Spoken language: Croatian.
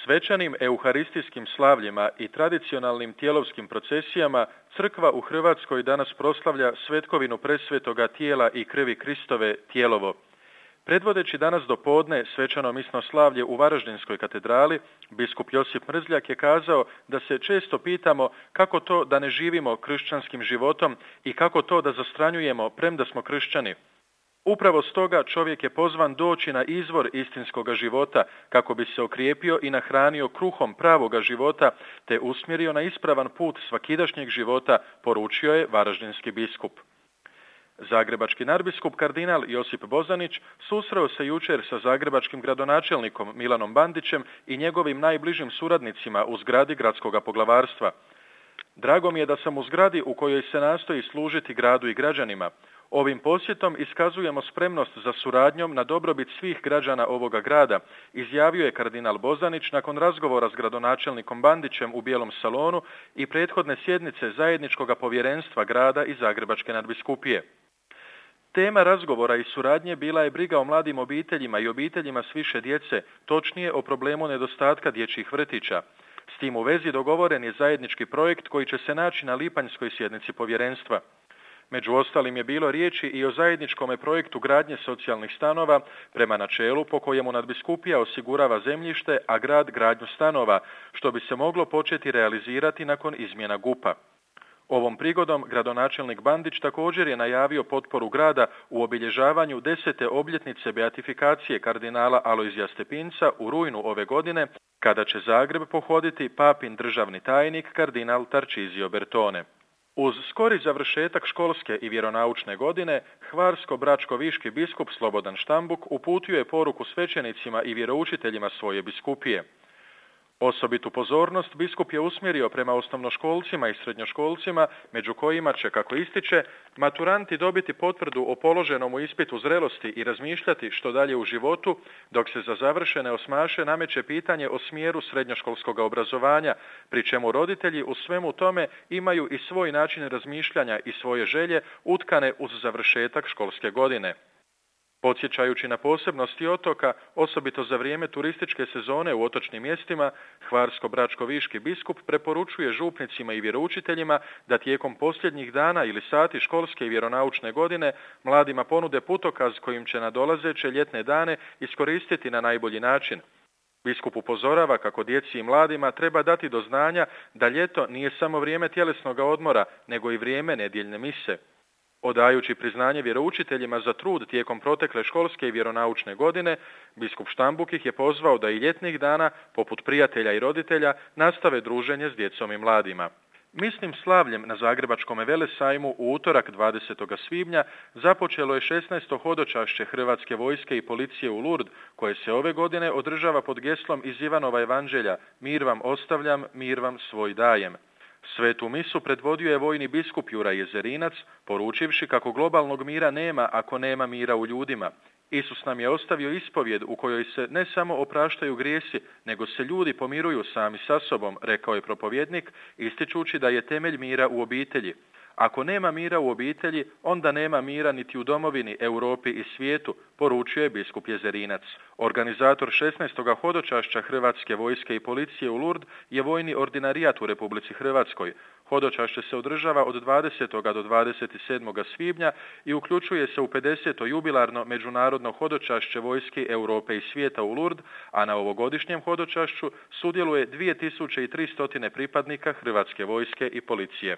Svečanim euharistijskim slavljima i tradicionalnim tjelovskim procesijama crkva u Hrvatskoj danas proslavlja svetkovinu presvetoga tijela i krvi Kristove Tijelovo. Predvodeći danas do podne svečano misno slavlje u Varaždinskoj katedrali, biskup Josip Mrzljak je kazao da se često pitamo kako to da ne živimo kršćanskim životom i kako to da zastranjujemo premda smo kršćani. Upravo stoga čovjek je pozvan doći na izvor istinskoga života kako bi se okrijepio i nahranio kruhom pravoga života te usmjerio na ispravan put svakidašnjeg života, poručio je varaždinski biskup. Zagrebački nadbiskup kardinal Josip Bozanić susreo se jučer sa zagrebačkim gradonačelnikom Milanom Bandićem i njegovim najbližim suradnicima u zgradi gradskog poglavarstva. Drago mi je da sam u zgradi u kojoj se nastoji služiti gradu i građanima. Ovim posjetom iskazujemo spremnost za suradnjom na dobrobit svih građana ovoga grada, izjavio je kardinal Bozanić nakon razgovora s gradonačelnikom Bandićem u Bijelom salonu i prethodne sjednice zajedničkog povjerenstva grada i Zagrebačke nadbiskupije. Tema razgovora i suradnje bila je briga o mladim obiteljima i obiteljima s više djece, točnije o problemu nedostatka dječjih vrtića. S tim u vezi dogovoren je zajednički projekt koji će se naći na lipanjskoj sjednici povjerenstva. Među ostalim je bilo riječi i o zajedničkom projektu gradnje socijalnih stanova prema načelu po kojemu nadbiskupija osigurava zemljište, a grad gradnju stanova, što bi se moglo početi realizirati nakon izmjena GUP-a. Ovom prigodom gradonačelnik Bandić također je najavio potporu grada u obilježavanju 10. obljetnice beatifikacije kardinala Alojzija Stepinca u rujnu ove godine, kada će Zagreb pohoditi papin državni tajnik kardinal Tarcísio Bertone. Uz skori završetak školske i vjeronaučne godine, hvarsko-bračko-viški biskup Slobodan Štambuk uputio je poruku svećenicima i vjeroučiteljima svoje biskupije. Osobitu pozornost biskup je usmjerio prema osnovnoškolcima i srednjoškolcima, među kojima će, kako ističe, maturanti dobiti potvrdu o položenom ispitu zrelosti i razmišljati što dalje u životu, dok se za završene osmaše nameće pitanje o smjeru srednjoškolskog obrazovanja, pri čemu roditelji u svemu tome imaju i svoj način razmišljanja i svoje želje utkane uz završetak školske godine. Podsjećajući na posebnosti otoka, osobito za vrijeme turističke sezone u otočnim mjestima, hvarsko-bračko-viški biskup preporučuje župnicima i vjeroučiteljima da tijekom posljednjih dana ili sati školske i vjeronaučne godine mladima ponude putokaz kojim će nadolazeće ljetne dane iskoristiti na najbolji način. Biskup upozorava kako djeci i mladima treba dati do znanja da ljeto nije samo vrijeme tjelesnog odmora, nego i vrijeme nedjeljne mise. Odajući priznanje vjeroučiteljima za trud tijekom protekle školske i vjeronaučne godine, biskup Štambuk ih je pozvao da i ljetnih dana, poput prijatelja i roditelja, nastave druženje s djecom i mladima. Misnim slavljem na Zagrebačkom velesajmu u utorak 20. svibnja započelo je 16. hodočašće Hrvatske vojske i policije u Lourdes, koje se ove godine održava pod geslom iz Ivanova evanđelja "Mir vam ostavljam, mir vam svoj dajem". Svetu misu predvodio je vojni biskup Juraj Jezerinac, poručivši kako globalnog mira nema ako nema mira u ljudima. Isus nam je ostavio ispovjed u kojoj se ne samo opraštaju grijesi, nego se ljudi pomiruju sami sa sobom, rekao je propovjednik, ističući da je temelj mira u obitelji. Ako nema mira u obitelji, onda nema mira niti u domovini, Europi i svijetu, poručio je biskup Jezerinac. Organizator 16. hodočašća Hrvatske vojske i policije u Lourdes je vojni ordinarijat u Republici Hrvatskoj. Hodočašće se održava od 20. do 27. svibnja i uključuje se u 50. jubilarno međunarodno hodočašće vojske Europe i svijeta u Lourdes, a na ovogodišnjem hodočašću sudjeluje 2300 pripadnika Hrvatske vojske i policije.